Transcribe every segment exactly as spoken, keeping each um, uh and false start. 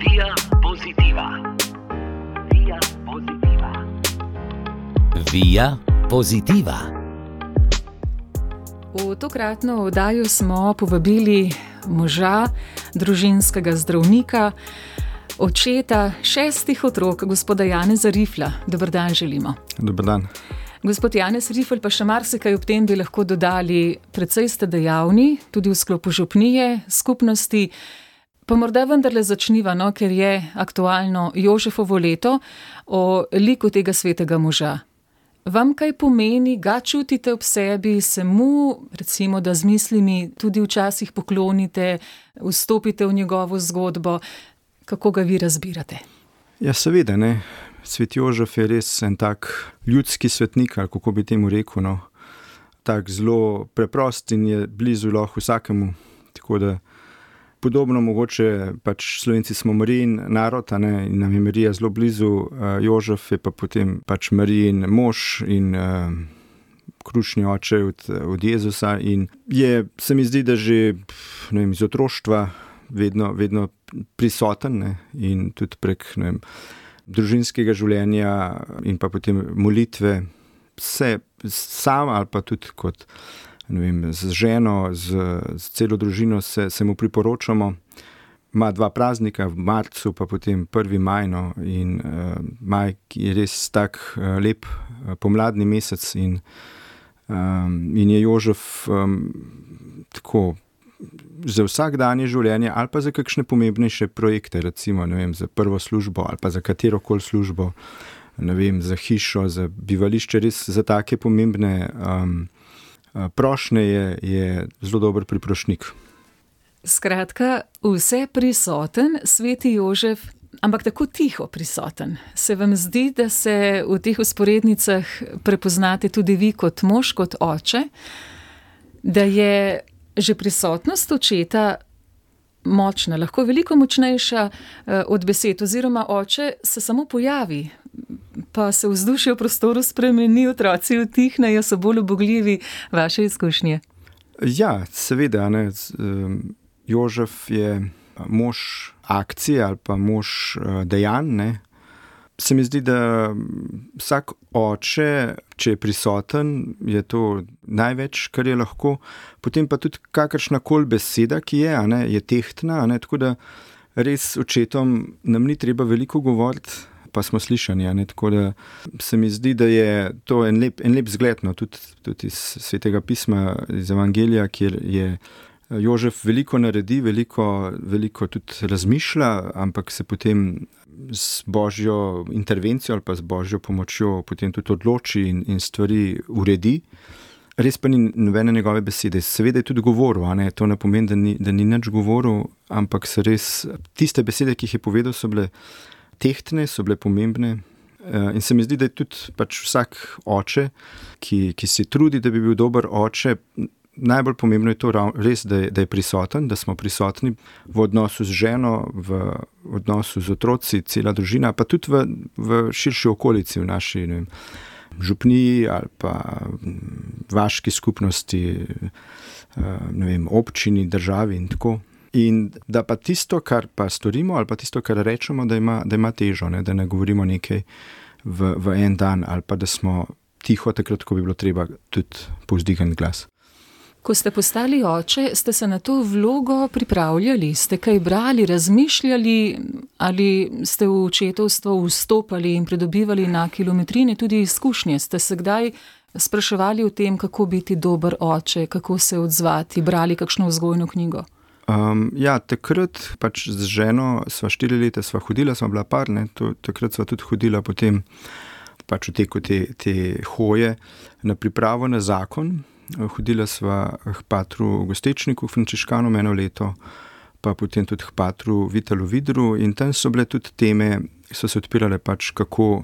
Via Positiva. Via Positiva. Via Positiva. V tokratno oddajo smo povabili moža, družinskega zdravnika, očeta šestih otrok, gospoda Janeza Rifla. Dober dan želimo. Dober dan. Gospod Janez Rifl, pa še marsikaj ob tem bi lahko dodali. Precej ste dejavni, tudi v sklopu župnije, skupnosti. Pa morda vendarle začniva, no, ker je aktualno Jožefovo leto, o liku tega svetega moža. Vam kaj pomeni, ga čutite ob sebi, se mu, recimo, da z mislimi tudi včasih poklonite, vstopite v njegovo zgodbo? Kako ga vi razbirate? Ja, seveda, ne. Svet Jožef je res en tak ljudski svetnik, ali kako bi temu rekel, no. Tak zelo preprost in je blizu lahko vsakemu. Tako da podobno mogoče pač Slovenci smo Marijin narod, a ne, in nam je Marija zelo blizu, Jožef je pa potem pač Marijin mož in uh, krušni oče od, od Jezusa in je, se mi zdi, da že, ne vem, iz otroštva vedno, vedno prisoten, ne, in tudi prek, ne vem, družinskega življenja in pa potem molitve, se sam ali pa tudi kot, ne vem, z ženo, z, z celo družino se, se mu priporočamo. Ima dva praznika v marcu, pa potem prvi maj, no, in uh, maj je res tak uh, lep uh, pomladni mesec in, um, in je Jožef um, tako za vsakdanje življenje ali pa za kakšne pomembnejše projekte, recimo, ne vem, za prvo službo ali pa za katerokoli službo, ne vem, za hišo, za bivališče, res za take pomembne um, prošnje je, je zelo dober priprošnik. Skratka, vse prisoten sveti Jožef, ampak tako tiho prisoten. Se vam zdi, da se v teh vzporednicah prepoznate tudi vi kot mož, kot oče, da je že prisotnost očeta močna, lahko veliko močnejša od besed, oziroma oče se samo pojavi, pa se vzdušje v prostoru spremeni, otroci utihnejo, so bolj ubogljivi. Vaše izkušnje? Ja, seveda, ne. Jožef je mož akcije ali pa mož dejanj, ne. Se mi zdi, da vsak oče, če je prisoten, je to največ, kar je lahko. Potem pa tudi kakršnakoli beseda, ki je, a ne, je tehtna, a ne, tako da res očetom nam ni treba veliko govoriti, pa smo slišani, a ne, tako da se mi zdi, da je to en lep, en lep zgled, no, tudi, tudi iz Svetega pisma, iz Evangelija, kjer je Jožef veliko naredi, veliko, veliko tudi razmišlja, ampak se potem z božjo intervencijo ali pa z božjo pomočjo potem tudi odloči in, in stvari uredi. Res pa ni nobene njegove besede. Seveda je tudi govoril, a ne, to ne pomeni, da ni, da ni nič govoril, ampak so res tiste besede, ki jih je povedal, so bile tehtne, so bile pomembne. In se mi zdi, da je tudi pač vsak oče, ki, ki se trudi, da bi bil dober oče, najbolj pomembno je to res, da je, da je prisoten, da smo prisotni v odnosu z ženo, v odnosu z otroci, cela družina, pa tudi v, v širši okolici, v naši, ne vem, župniji ali pa vaški skupnosti, ne vem, občini, državi in tako. In da pa tisto, kar pa storimo ali pa tisto, kar rečemo, da ima, da ima težo, ne, da ne govorimo nekaj v, v en dan ali pa da smo tiho takrat, ko bi bilo treba tudi povzdigniti glas. Ko ste postali oče, ste se na to vlogo pripravljali? Ste kaj brali, razmišljali ali ste v očetovstvo vstopali in pridobivali na kilometrini tudi izkušnje? Ste se kdaj spraševali o tem, kako biti dober oče, kako se odzvati, brali kakšno vzgojno knjigo? Um, ja, takrat pač z ženo sva štiri leta sva hodila, sva bila par, ne, to, takrat sva tudi hodila potem pač v teku te, te hoje na pripravo na zakon. Hodila sva k patru Gostečniku, frančiškanom eno leto, pa potem tudi k patru Vitalu Vidru in tam so bile tudi teme, so se odpirale pač kako,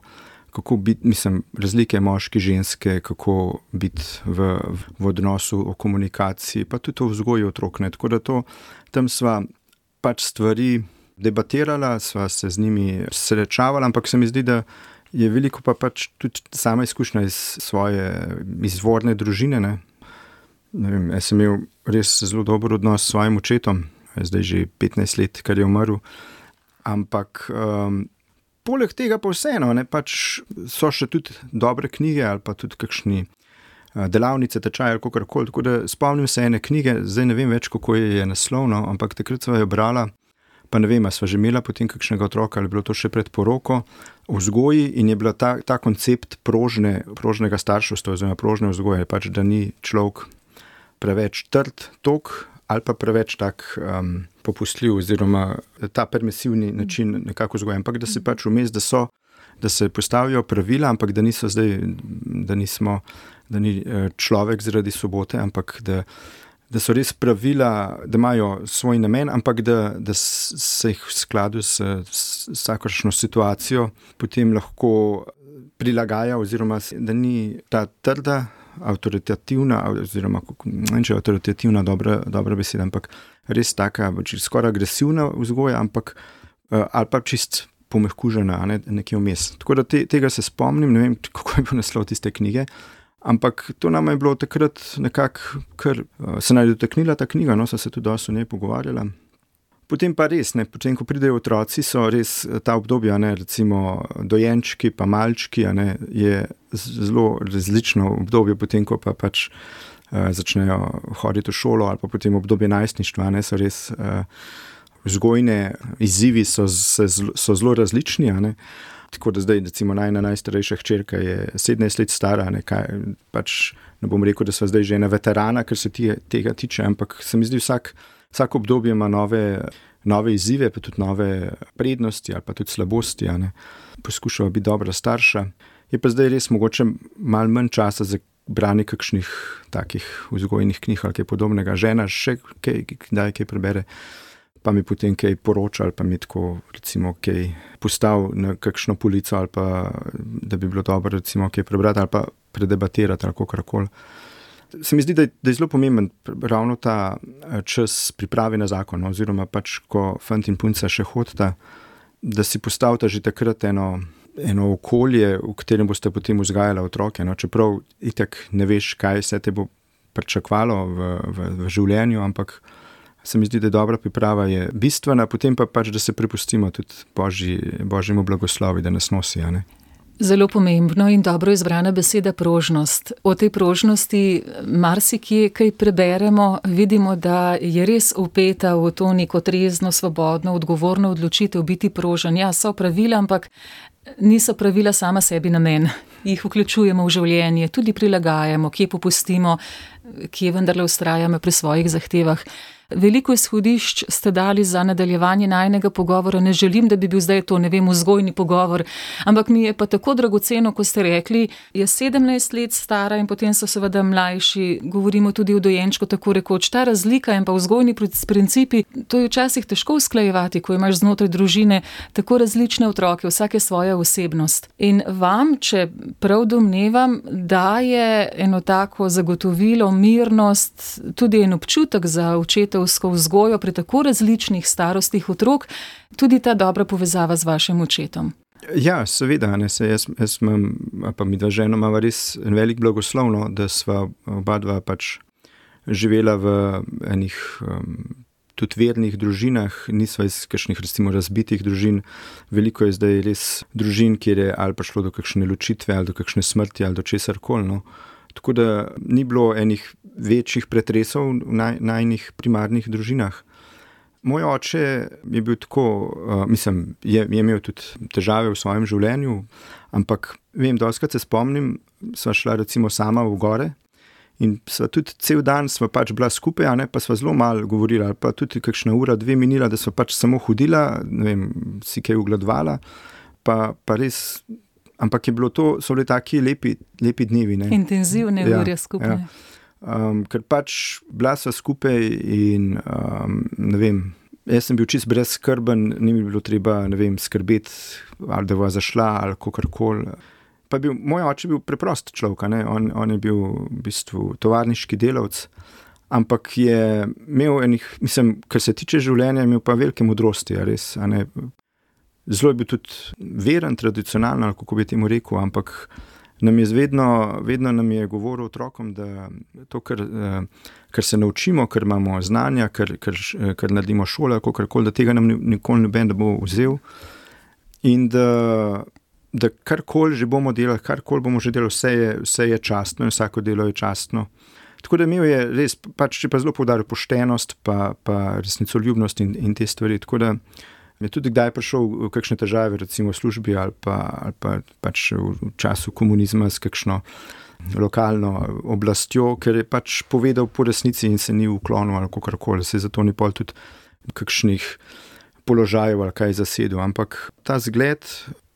kako biti, mislim, razlike moški, ženske, kako biti v, v odnosu, o komunikaciji, pa tudi o vzgoji otrok, ne. Tako da to, tam sva pač stvari debatirala, sva se z njimi srečavala, ampak se mi zdi, da je veliko pa pač tudi sama izkušnja iz svoje izvorne družine, ne. Ne vem, jaz sem imel res zelo dober odnos s svojim očetom, zdaj že petnajst let, kar je umrl, ampak um, poleg tega pa vseeno, ne, pač so še tudi dobre knjige ali pa tudi kakšni delavnice, tečaje ali kakorkoli, tako da spomnim se ene knjige, zdaj ne vem več, kako je naslovno, ampak takrat sva jo brala, pa ne vem, a sva že imela potem kakšnega otroka ali bilo to še pred poroko, v vzgoji in je bila ta, ta koncept prožne, prožnega starševstva oziroma prožne vzgoje, pač da ni človek preveč trd, tok ali pa preveč tak um, popustljiv oziroma ta permisivni način nekako vzgoje, ampak da se pač vmes, da so, da se postavijo pravila, ampak da niso zdaj, da nismo da ni človek zaradi sobote, ampak da, da so res pravila, da imajo svoj namen, ampak da, da se jih v skladu s, s vsakršno situacijo potem lahko prilagaja oziroma da ni ta trda, avtoritativna, oziroma ne vem, če je avtoritativna dobra, dobra beseda, ampak res taka, skoraj agresivna vzgoja, ampak ali pa čist pomehkužena, ne, nekje vmes. Tako da te, tega se spomnim, ne vem, kako je bil naslov tiste knjige, ampak to nam je bilo takrat nekako, ker se naj dotaknila ta knjiga, no, so se tudi dosti o njej pogovarjala. Potem pa res, ne, potem, ko pridejo otroci, so res ta obdobja, ne, recimo dojenčki pa malčki, ne, je zelo različno obdobje, potem, ko pa pač uh, začnejo hoditi v šolo ali pa potem obdobje najstništva, ne, so res uh, vzgojne izzivi so, so, so zelo različni, ne. Tako da zdaj, recimo, najna najstarejša hčerka je sedemnajst let stara, ne, kaj, pač ne bom rekel, da sva zdaj že ena veterana, kar se tije, tega tiče, ampak se mi zdi vsak, vsak obdobje ima nove, nove izzive, pa tudi nove prednosti ali pa tudi slabosti, ne. Poskušava biti dobra starša. Je pa zdaj res mogoče malo manj časa za branje kakšnih takih vzgojnih knjig ali kaj podobnega. Žena še kaj, kdaj kaj prebere, pa mi potem kaj poroča ali pa mi tako, recimo, kaj postav na kakšno polico ali pa, da bi bilo dobro, recimo, kaj prebrati ali pa predebatirati ali kakorkoli. Se mi zdi, da je, da je zelo pomemben ravno ta čas priprave na zakon, oziroma pač, ko fant in punca še hodita, da si postavita že takrat eno, eno okolje, v katerem boste potem vzgajala otroke, no, čeprav itak ne veš, kaj se te bo pričakvalo v, v, v življenju, ampak se mi zdi, da je dobra priprava je bistvena, potem pa pač, da se prepustimo tudi Božji, Božjemu blagoslovi, da nas nosi, a ne. Zelo pomembno in dobro izbrana beseda prožnost. O tej prožnosti marsikje kaj preberemo, vidimo, da je res vpeta v to neko trezno, svobodno, odgovorno odločitev biti prožen. Ja, so pravila, ampak niso pravila sama sebi namen. Jih vključujemo v življenje, tudi prilagajamo, kje popustimo, kje vendarle vztrajamo pri svojih zahtevah. Veliko izhodišč ste dali za nadaljevanje najinega pogovora. Ne želim, da bi bil zdaj to, ne vem, vzgojni pogovor, ampak mi je pa tako dragoceno, ko ste rekli, je sedemnajst let stara in potem so seveda mlajši, govorimo tudi o dojenčku, tako rekoč. Ta razlika in pa vzgojni principi, to je včasih težko usklajevati, ko imaš znotraj družine tako različne otroke, vsake svoja osebnost. In vam, če prav domnevam, daje eno tako zagotovilo, mirnost, tudi en občutek za očeta vzgojo pri tako različnih starostih otrok, tudi ta dobra povezava z vašim očetom. Ja, seveda, ne, se jaz, jaz imam, pa mi dva žena imava res en velik blagoslovno, da sva oba dva pač živela v enih um, tudi vernih družinah, nisva iz kakšnih recimo razbitih družin. Veliko je zdaj res družin, kjer je ali pa šlo do kakšne ločitve, ali do kakšne smrti, ali do česarkoli, no. Tako da ni bilo enih večjih pretresov v naj, najnih primarnih družinah. Moj oče je bil tako, uh, mislim, je, je imel tudi težave v svojem življenju, ampak vem, dostikrat se spomnim, sva šla recimo sama v gore in sva tudi cel dan sva pač bila skupaj, a ne, pa sva zelo malo govorila, ali pa tudi kakšna ura, dve minila, da sva pač samo hodila, ne vem, si kaj ugledvala, pa, pa res. Ampak je bilo to, so bili taki lepi, lepi dnevi. Ne? Intenzivne ja, ure skupaj. Ja. Um, ker pač bila sva skupaj in um, ne vem, jaz sem bil čist brezskrben, ni mi bilo treba, ne vem, skrbeti, ali da bo zašla, ali kakorkoli. Pa bil, moj oče je bil preprost človek, ne? On, on je bil v bistvu tovarniški delavec, ampak je imel enih, mislim, kar se tiče življenja, imel pa velike modrosti, a res, a ne. Zelo je bil tudi veren, tradicionalen, ali kako bi temu rekel, ampak nam je vedno, vedno nam je govoril otrokom, da to, kar, kar se naučimo, kar imamo znanja, kar, kar, kar naredimo šole, kakorkoli, da tega nam nikoli noben ne bo vzel in da, da karkoli že bomo delali, karkoli bomo že delali, vse je, vse je častno in vsako delo je častno. Tako da imel je res, pač če pa zelo poudaril poštenost, pa, pa resnicoljubnost in, in te stvari, tako da je tudi kdaj prišel v kakšne težave, recimo v službi ali pa, ali pa pač v času komunizma s kakšno lokalno oblastjo, ker je pač povedal po resnici in se ni uklonil ali kakorkoli, se zato ni pol tudi kakšnih položajev ali kaj zasedel, ampak ta zgled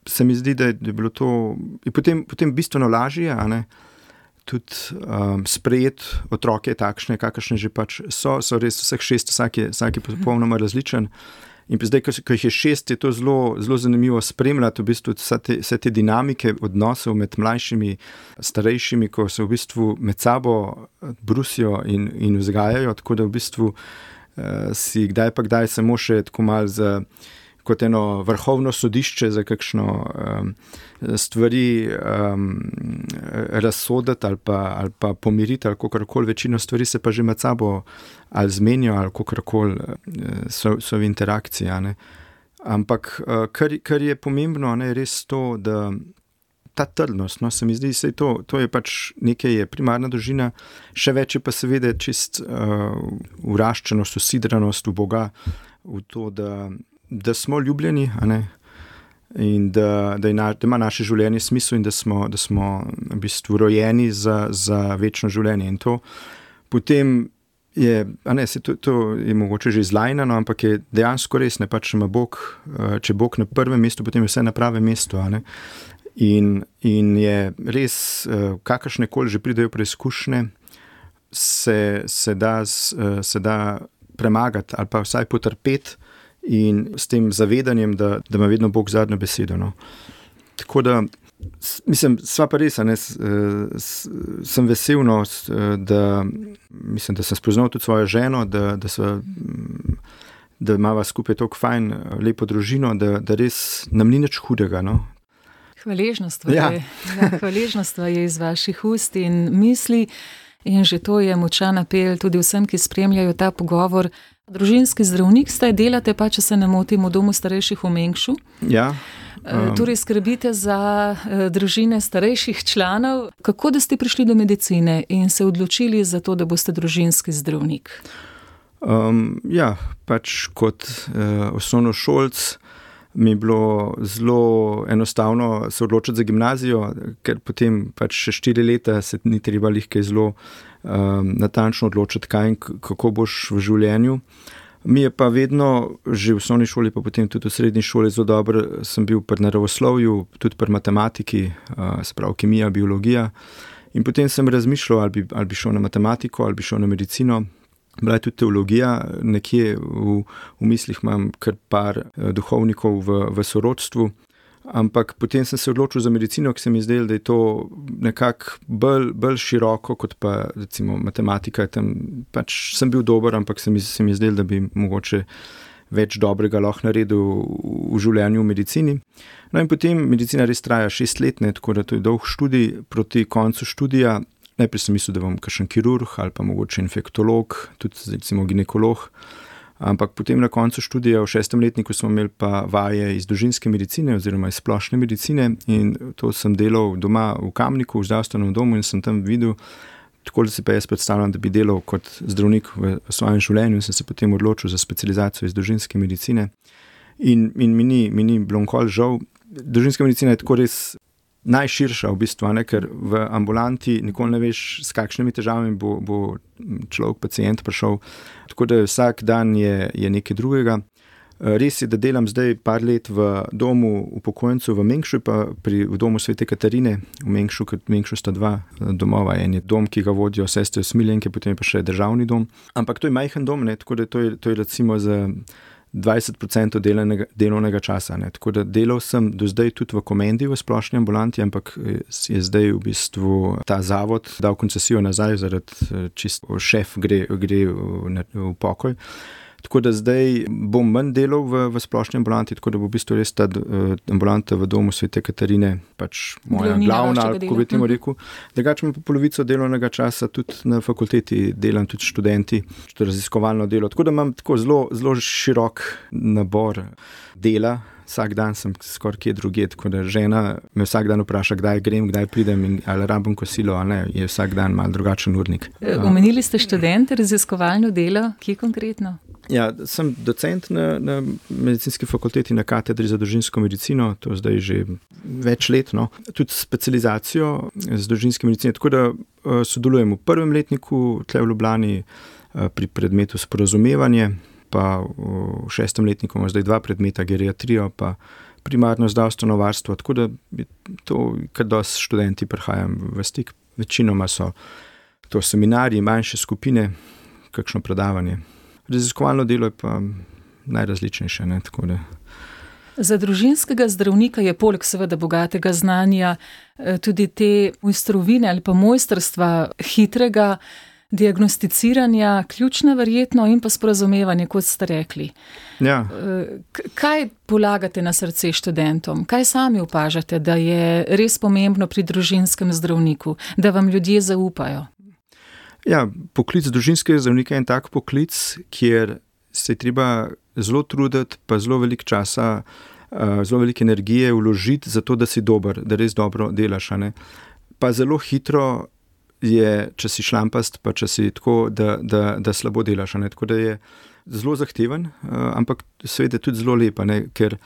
se mi zdi, da je bilo to in potem, potem bistveno lažje, a ne, tudi um, sprejeti otroke takšne, kakršne že pač so, so res vseh šest, vsak je, vsak je popolnoma različen. In zdaj, ko jih je šest, je to zelo, zelo zanimivo spremljati v bistvu vse te, vse te dinamike odnosov med mlajšimi, starejšimi, ko se v bistvu med sabo brusijo in, in vzgajajo, tako da v bistvu uh, si kdaj pa kdaj samo še tako mal za kot eno vrhovno sodišče za kakšno um, stvari um, razsoditi ali pa, ali pa pomiriti ali kakorkoli, večino stvari se pa že med sabo ali zmenijo ali kakorkoli so, so v interakciji. Ne. Ampak kar, kar je pomembno, ne, je res to, da ta trdnost, no, se mi zdi, sej to, to je pač nekaj, je primarna družina, še več je pa seveda čist uh, uraščenost, usidranost v Boga, v to, da da smo ljubljeni, a ne, in da, da, na, da ima naše življenje smisel in da smo, da smo v bistvu rojeni za, za večno življenje. In to potem je, a ne, se to, to je mogoče že izlajnano, ampak je dejansko res, ne, pač ima Bog, če Bog na prvem mestu, potem je vse na pravem mestu, a ne. In, in je res, kakršne koli že pridejo preizkušnje, se, se, da, se da premagati ali pa vsaj potrpeti, in s tem zavedanjem, da, da ima vedno Bog zadnjo besedo. No. Tako da, mislim, sva pa res, ne, s, s, sem vesel, no, da, mislim, da sem spoznal tudi svojo ženo, da, da, sva, da imava skupaj toliko fajn, lepo družino, da, da res nam ni nič hudega. No. Hvaležnost ja. je, ja, hvaležnost je iz vaših ust in misli in že to je močan apel tudi vsem, ki spremljajo ta pogovor. Družinski zdravnik ste, delate pa, če se ne motim, v domu starejših v Mengšu. Ja. Um, torej skrbite za uh, družine starejših članov. Kako da ste prišli do medicine in se odločili za to, da boste družinski zdravnik? Um, ja, pač kot uh, osnovnošolc mi je bilo zelo enostavno se odločiti za gimnazijo, ker potem pač še štiri leta se ni treba lihke zelo um, natančno odločiti, kaj in kako boš v življenju. Mi je pa vedno, že v osnovni šoli, pa potem tudi v srednji šoli zelo dobro, sem bil pri naravoslovju, tudi pri matematiki, uh, se pravi kemija, biologija. In potem sem razmišljal, ali bi, ali bi šel na matematiko, ali bi šel na medicino. Bila je tudi teologija, nekje v, v mislih imam kar par duhovnikov v, v sorodstvu, ampak potem sem se odločil za medicino, ki se mi zdelo, da je to nekako bolj, bolj široko, kot pa recimo matematika. Tam pač sem bil dober, ampak se mi, se mi zdelo, da bi mogoče več dobrega lahko naredil v življenju v medicini. No in potem medicina res traja šest let, ne, tako da to je dolg študij. Proti koncu študija najprej sem mislil, da bom kakšen kirurg ali pa mogoče infektolog, tudi recimo ginekolog, ampak potem na koncu študija v šestem letniku smo imeli pa vaje iz družinske medicine oziroma iz splošne medicine in to sem delal doma v Kamniku, v zdravstvenem domu in sem tam videl, tako da si pa jaz predstavljam, da bi delal kot zdravnik v svojem življenju in sem se potem odločil za specializacijo iz družinske medicine in, in mi ni, mi ni bilo nikoli žal. Družinska medicina je tako res najširša v bistvu, ne, ker v ambulanti nikoli ne veš, s kakšnimi težavami bo, bo človek, pacient prišel, tako da vsak dan je, je nekaj drugega. Res je, da delam zdaj par let v domu upokojencev v Mengšu, pa pri, v domu Svete Katarine v Mengšu, ker v Mengšu sta dva domova, en je dom, ki ga vodijo sestre usmiljenke, potem je pa še državni dom. Ampak to je majhen dom, ne, tako da to je, to je recimo za dvajset procentov delovnega, delovnega časa. Ne. Tako da delal sem do zdaj tudi v Komendi v splošni ambulanti, ampak je zdaj v bistvu ta zavod dal koncesijo nazaj, zaradi čist šef gre, gre v, v pokoj. Tako da zdaj bom manj delal v, v splošni ambulanti, tako da bo v bistvu res ta uh, ambulanta v domu Svete Katarine pač moja Glavnina glavna, vašega kako bi temu dela. rekel. Drugače imam pa polovico delovnega časa tudi na fakulteti, delam tudi študenti, tudi raziskovalno delo. Tako da imam tako zelo, zelo širok nabor dela. Vsak dan sem skoraj kje drugje, tako da žena me vsak dan vpraša, kdaj grem, kdaj pridem in ali rabim kosilo, ali ne, je vsak dan malo drugačen urnik. Omenili ste študente, raziskovalno delo, kje konkretno? Ja, sem docent na, na medicinski fakulteti na katedri za družinsko medicino, to zdaj že več let, no. Tudi specializacijo z družinske medicine, tako da uh, sodelujem v prvem letniku tle v Ljubljani uh, pri predmetu sporazumevanje, pa v šestem letniku imamo zdaj dva predmeta, geriatrijo pa primarno zdravstveno varstvo, tako da je to, kar dosti študenti prihajam v stik. Večinoma so to seminarji, manjše skupine, kakšno predavanje. Raziskovalno delo je pa najrazličnejše, ne, tako da. Za družinskega zdravnika je poleg seveda bogatega znanja tudi te mojstrovine ali pa mojstrstva hitrega diagnosticiranja, ključna verjetno in pa sporazumevanje, kot ste rekli. Ja. Kaj polagate na srce študentom? Kaj sami opažate, da je res pomembno pri družinskem zdravniku, da vam ljudje zaupajo? Ja, poklic družinskega zdravnika je en tak poklic, kjer se je treba zelo truditi, pa zelo veliko časa, zelo veliko energije vložiti za to, da si dober, da res dobro delaš, a ne? Pa zelo hitro je, če si šlampast, pa če si tako, da, da, da slabo delaš, ne? Tako da je zelo zahteven, ampak seveda tudi zelo lepa, ne? Ker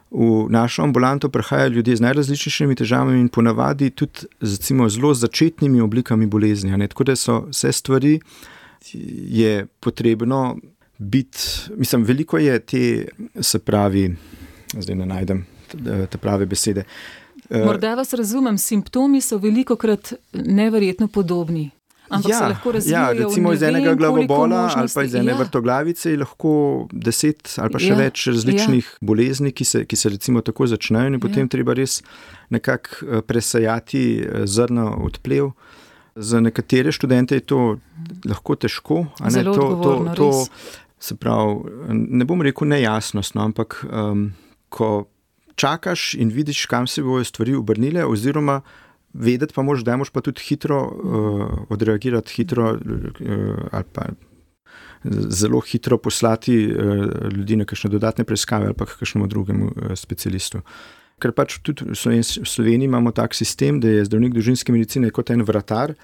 v našo ambulanto prihajajo ljudje z najrazličnejšimi težavami in ponavadi tudi recimo zelo začetnimi oblikami bolezni, ne? Tako da so vse stvari, je potrebno biti, mislim, veliko je te, se pravi, zdaj ne najdem te prave besede. Morda vas razumem, simptomi so velikokrat neverjetno podobni, ampak ja, se lahko razvijajo. Ja, recimo iz enega glavobola ali pa iz ene ja. vrtoglavice je lahko deset ali pa še ja. več različnih ja. bolezni, ki se, ki se recimo tako začnejo in potem ja. treba res nekako presajati zrno odplev. Za nekatere študente je to lahko težko. A ne, Zelo to, odgovorno, to, res. to, se pravi, ne bom rekel nejasnost, no, ampak um, ko čakaš in vidiš, kam se bojo stvari obrnile, oziroma vedeti pa moraš, da moraš pa tudi hitro uh, odreagirati, hitro uh, ali pa zelo hitro poslati uh, ljudi na kakšne dodatne preiskave ali pa kakšnemu drugemu uh, specialistu. Ker pač tudi v Sloveniji imamo tak sistem, da je zdravnik družinske medicine kot en vratar,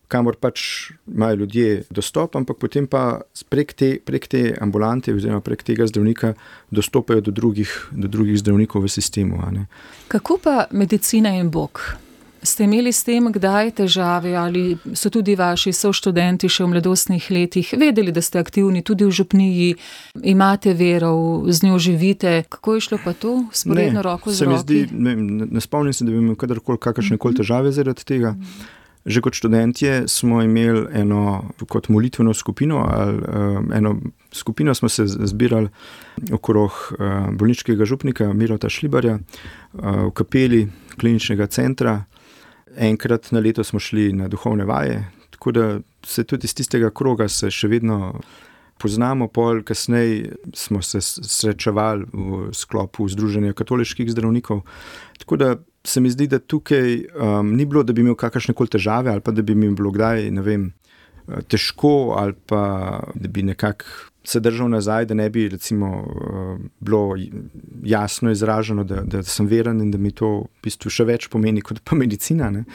kamor pač imajo ljudje dostop, ampak potem pa prek te, prek te ambulante oziroma prek tega zdravnika dostopajo do drugih, do drugih zdravnikov v sistemu. A ne. Kako pa medicina in Bog? Ste imeli s tem kdaj težave ali so tudi vaši soštudenti še v mladostnih letih vedeli, da ste aktivni tudi v župniji, imate vero, z njo živite? Kako je šlo pa to? Sporedno roko z roki? Se mi zdi, ne, ne spomnim se, da bi imel kadarkoli kakršne koli težave zaradi tega. Že kot študentje smo imeli eno kot molitveno skupino, ali um, eno skupino smo se zbirali okrog uh, bolniškega župnika Mirota Šlibarja uh, v kapeli kliničnega centra. Enkrat na leto smo šli na duhovne vaje, tako da se tudi iz tistega kroga se še vedno poznamo, pol kasneje smo se srečevali v sklopu Združenja katoliških zdravnikov, tako da se mi zdi, da tukaj um, ni bilo, da bi imel kakršnekoli težave ali pa da bi mi bilo kdaj, ne vem, težko ali pa da bi nekako se držal nazaj, da ne bi recimo uh, bilo jasno izraženo, da, da sem veren in da mi to v bistvu še več pomeni kot pa medicina, ne.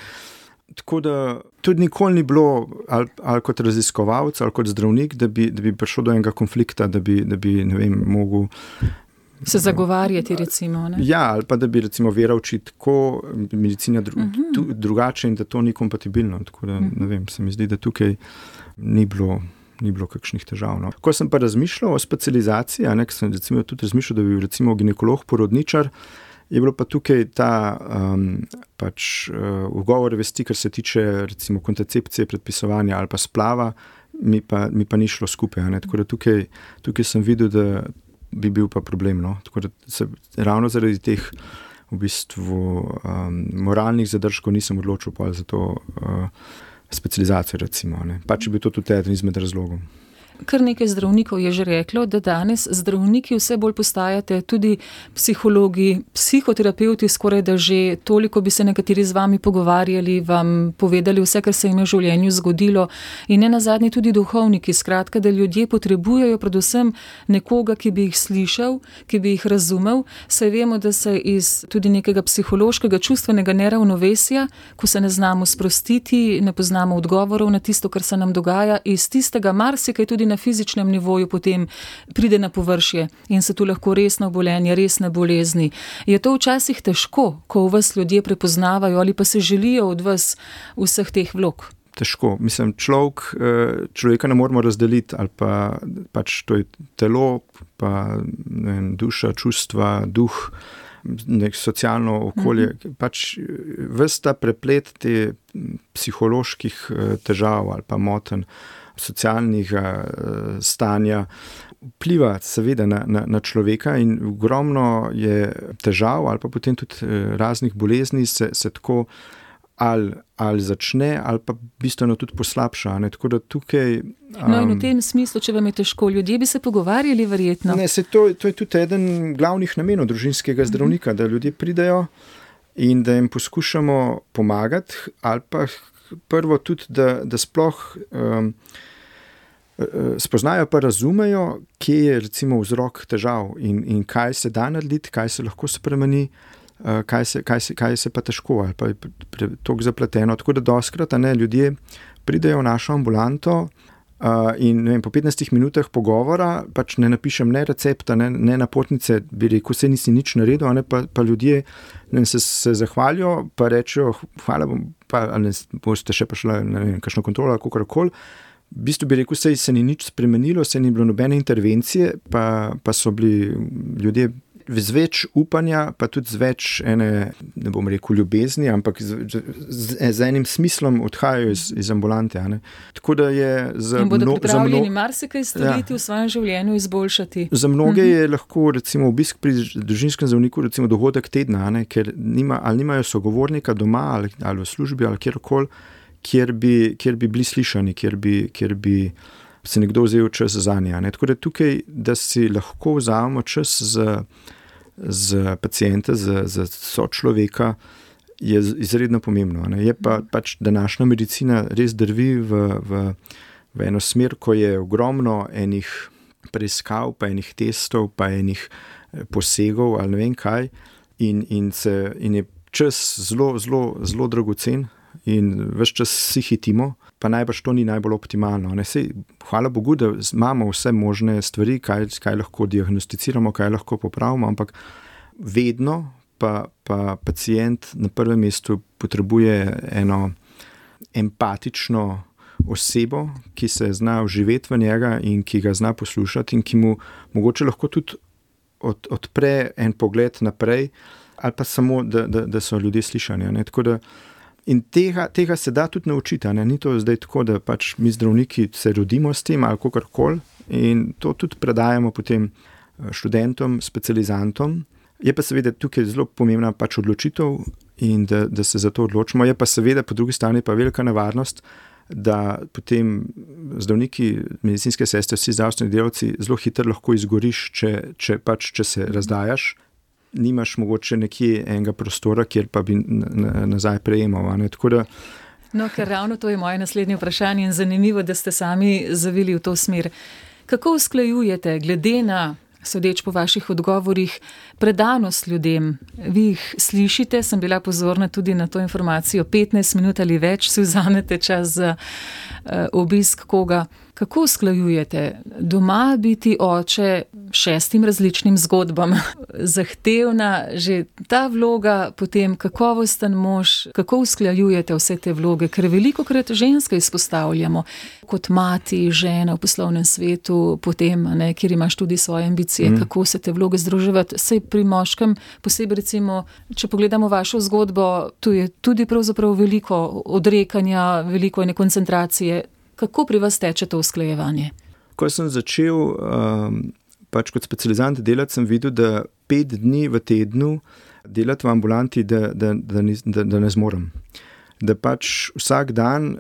Tako da tudi nikoli ni bilo ali, ali kot raziskovalec ali kot zdravnik, da bi, da bi prišel do enega konflikta, da bi, da bi ne vem, mogel se zagovarjati recimo, ne? Ja, ali pa da bi recimo vera učiti tako, medicina dru, uh-huh. tu, drugače in da to ni kompatibilno, tako da ne vem, se mi zdi, da tukaj ni bilo, ni bilo kakšnih težav. No. Ko sem pa razmišljal o specializaciji, a ne, ko sem recimo tudi razmišljal, da bi recimo ginekolog, porodničar, je bilo pa tukaj ta um, pač uh, ugovor vesti, kar se tiče recimo kontracepcije, predpisovanja ali pa splava, mi pa, mi pa ni šlo skupaj, a ne, tako da tukaj, tukaj sem videl, da bi bil pa problem, no. Tako da se ravno zaradi teh v bistvu um, moralnih zadržkov nisem odločil pa za to uh, specializacijo recimo, ne. Pa če bi to tudi eden izmed razlogov. Kar nekaj zdravnikov je že reklo, da danes zdravniki vse bolj postajate tudi psihologi, psihoterapeuti, skoraj da že toliko bi se nekateri z vami pogovarjali, vam povedali vse, kar se jim je v življenju zgodilo in ne nazadnje tudi duhovniki, skratka, da ljudje potrebujejo predvsem nekoga, ki bi jih slišal, ki bi jih razumel, saj vemo, da se iz tudi nekega psihološkega, čustvenega neravnovesja, ko se ne znamo sprostiti, ne poznamo odgovorov na tisto, kar se nam dogaja, iz tistega marsikaj tudi na fizičnem nivoju potem pride na površje in se tu lahko resno obolenje, resne bolezni. Je to včasih težko, ko v vas ljudje prepoznavajo ali pa se želijo od vas vseh teh vlog? Težko. Mislim, človek, človeka ne moramo razdeliti ali pa pač to je telo, pa ne vem, duša, čustva, duh, nek socialno okolje. Mm-hmm. Pač ves ta preplet te psiholoških težav ali pa motenj, socialnega stanja vpliva seveda na, na, na človeka in ogromno je težav ali pa potem tudi raznih bolezni se, se tako ali, ali začne ali pa bistveno tudi poslabša. Ne? Tako da tukaj... Um, no in v tem smislu, če vam je težko, ljudje bi se pogovarjali verjetno. Ne, se to, to je tudi eden glavnih namenov družinskega zdravnika, mm-hmm. da ljudje pridejo in da jim poskušamo pomagati ali pa prvo tudi, da, da sploh um, spoznajo pa razumejo, kje je recimo vzrok težav in, in kaj se da narediti, kaj se lahko spremeni, uh, kaj, se, kaj, se, kaj se pa težko ali pa je toliko zapleteno. Tako da dostikrat ljudje pridejo v našo ambulanto uh, in ne vem, po petnajstih minutah pogovora pač ne napišem ne recepta, ne, ne napotnice, bi rekel, se nisi nič naredil, ne, pa, pa ljudje ne vem, se, se zahvalijo, pa rečejo, hvala bom, pa ali ne, boste še prišla, ne vem, kakšno kontrolo ali kakorkoli. V bistvu bi rekel, se ni nič spremenilo, se ni bilo nobene intervencije, pa, pa so bili ljudje z več upanja, pa tudi z več ene, ne bom rekel ljubezni, ampak z, z, z enim smislom odhajajo iz, iz ambulante. Ne. Tako da je za in bodo mno, pripravljeni mno, marsikaj storiti ja, v svojem življenju, izboljšati. Za mnoge je lahko recimo obisk pri družinskem zdravniku recimo dogodek tedna, ne, ker nima, ali nimajo sogovornika doma ali, ali v službi ali kjerkoli, Kjer bi, kjer bi bili slišani, kjer bi, kjer bi se nekdo vzel čas za nje. Tako da tukaj, da si lahko vzamemo čas za, za pacienta, za, za sočloveka, je izredno pomembno. Ne. Je pa pač današnja medicina res drvi v, v, v eno smer, ko je ogromno enih preiskav, pa enih testov, pa enih posegov ali ne vem kaj in, in, se, in je čas zelo, zelo, zelo dragocen. In ves čas si hitimo, pa najbrž to ni najbolj optimalno. Ne? Sej, hvala Bogu, da imamo vse možne stvari, kaj, kaj lahko diagnosticiramo, kaj lahko popravimo, ampak vedno pa, pa pacient na prvem mestu potrebuje eno empatično osebo, ki se zna vživeti v njega in ki ga zna poslušati in ki mu mogoče lahko tudi od, odpre en pogled naprej ali pa samo, da, da, da so ljudje slišani. Ne? Tako da In tega, tega se da tudi naučiti. Ne? Ni to zdaj tako, da pač mi zdravniki se rodimo s tem ali kakorkoli in to tudi predajamo potem študentom, specializantom. Je pa seveda tukaj zelo pomembna pač odločitev in da, da se za to odločimo. Je pa seveda po drugi strani pa velika nevarnost, da potem zdravniki, medicinske sestre, vsi zdravstveni delavci zelo hitro lahko izgoriš, če, če, pač, če se razdajaš. Nimaš mogoče nekje enega prostora, kjer pa bi nazaj prejemal. Ne? Tako da... No, ker ravno to je moje naslednje vprašanje in zanimivo, da ste sami zavili v to smer. Kako usklajujete, glede na, sodeč po vaših odgovorih, predanost ljudem? Vi jih slišite, sem bila pozorna tudi na to informacijo, petnajst minut ali več si vzamete čas za uh, obisk koga. Kako usklajujete doma biti oče šestim različnim zgodbam? Zahtevna že ta vloga, potem kakovosten mož, kako usklajujete vse te vloge? Ker velikokrat ženske izpostavljamo kot mati, žena v poslovnem svetu, potem, ne, kjer imaš tudi svoje ambicije, mm. kako se te vloge združevati. Sej pri moškem, posebej recimo, če pogledamo vašo zgodbo, tu je tudi pravzaprav veliko odrekanja, veliko ene koncentracije. Kako pri vas teče to usklajevanje? Ko sem začel um, pač kot specializant delati, sem videl, da pet dni v tednu delati v ambulanti, da, da, da, da, da ne zmorem. da pač vsak dan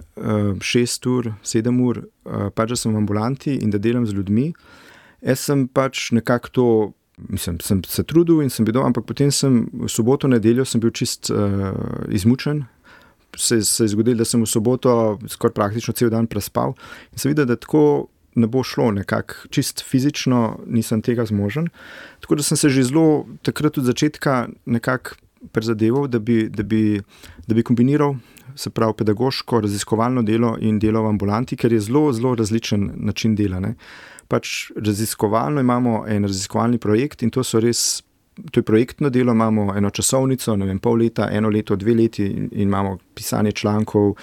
šest ur, sedem ur, pač da sem v ambulanti in da delam z ljudmi. Jaz sem pač nekako to, mislim, sem se trudil in sem bil doma, ampak potem sem v soboto, nedeljo sem bil čist uh, izmučen. Se, se je zgodilo, da sem v soboto skoraj praktično cel dan prespal in sem videl, da tako ne bo šlo nekako, čist fizično nisem tega zmožen. Tako da sem se že zelo takrat od začetka nekako prizadeval, da bi, da bi, da bi kombiniral, se pravi pedagoško, raziskovalno delo in delo v ambulanti, ker je zelo, zelo različen način dela. Ne. Pač raziskovalno imamo en raziskovalni projekt in to so res, to je projektno delo, imamo eno časovnico, ne vem, pol leta, eno leto, dve leti in, in imamo pisanje člankov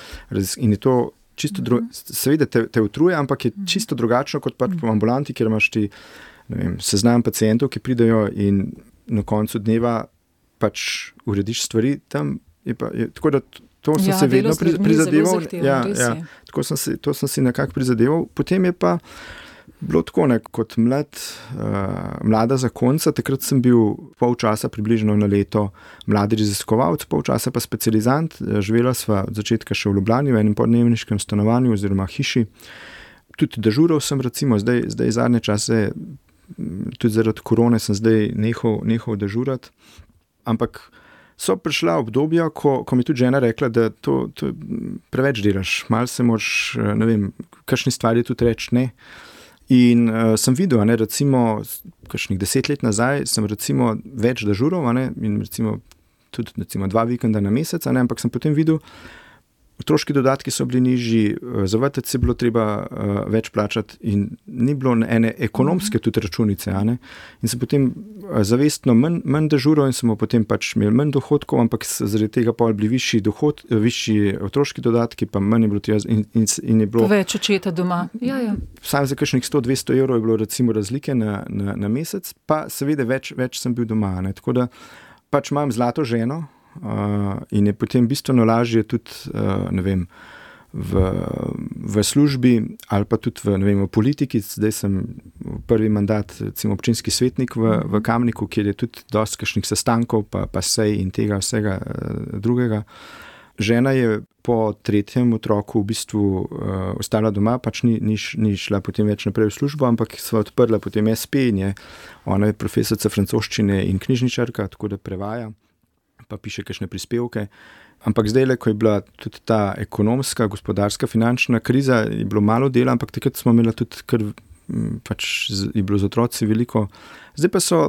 in je to čisto drugo, seveda te, te utruje, ampak je čisto drugačno kot pač v ambulanti, kjer imaš ti, ne vem, seznam pacientov, ki pridejo in na koncu dneva pač urediš stvari tam, je pa, je, tako da to sem ja, se vedno pri, prizadeval, ja, ja, tako sem si, to sem si nekako prizadeval, potem je pa bilo tako, ne, kot mlad, uh, mlada zakonca, takrat sem bil pol časa približno na leto mladi raziskovalec, pol časa pa specializant, živela sva od začetka še v Ljubljani, v enem podnevniškem stanovanju oziroma hiši, tudi dežural sem recimo, zdaj, zdaj zadnje čase, tudi zaradi korone sem zdaj nehal, nehal dežurati, ampak so prišla obdobja, ko, ko mi tudi žena rekla, da to, to preveč delaš, malo se moraš, ne vem, kakšni stvari tudi reči ne. In uh, sem videl, ne, recimo, kakšnih deset let nazaj sem recimo več dežurov, ne, in recimo tudi recimo dva vikenda na mesec, ne, ampak sem potem videl, otroški dodatki so bili nižji, za vrtec je bilo treba uh, več plačati in ni bilo ene ekonomske tudi računice. Ne? In sem potem uh, zavestno manj, manj dežurov in smo potem pač imeli manj dohodkov, ampak zaradi tega pa bili višji, dohod, višji otroški dodatki, pa manj je bilo tega in, in, in je bilo... Več očeta doma. Ja, ja. Sam za kakšnih sto do dvesto evrov je bilo recimo razlike na, na, na mesec, pa seveda več, več sem bil doma. Ne? Tako da pač imam zlato ženo, Uh, in je potem bistveno lažje tudi, uh, ne vem, v, v službi ali pa tudi v, ne vem, v politiki. Zdaj sem prvi mandat, recimo občinski svetnik v, v Kamniku, kjer je tudi dosti kakšnih sestankov, pa, pa sej in tega vsega uh, drugega. Žena je po tretjem otroku v bistvu uh, ostala doma, pač ni, ni, ni šla potem več naprej v službo, ampak sva odprla potem es pe in je, ona je profesorica francoščine in knjižničarka, tako da prevaja, pa piše kakšne prispevke. Ampak zdaj, ko je bila tudi ta ekonomska, gospodarska, finančna kriza, je bilo malo dela, ampak takrat smo imeli tudi, ker pač je bilo z otroci veliko. Zdaj pa so,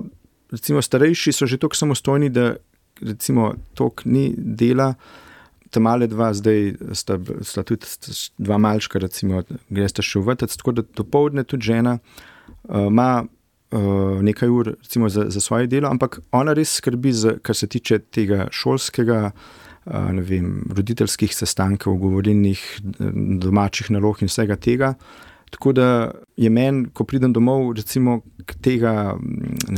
recimo starejši so že toliko samostojni, da recimo toliko ni dela, ta male dva zdaj sta, sta tudi dva malčka, recimo, gresta še v vrtec, tako da dopoldne tudi žena uh, ima Uh, nekaj ur recimo za, za svoje delo, ampak ona res skrbi, za, kar se tiče tega šolskega, uh, ne vem, roditeljskih sestankov, govorilnih, domačih nalog in vsega tega. Tako da je meni, ko pridem domov, recimo tega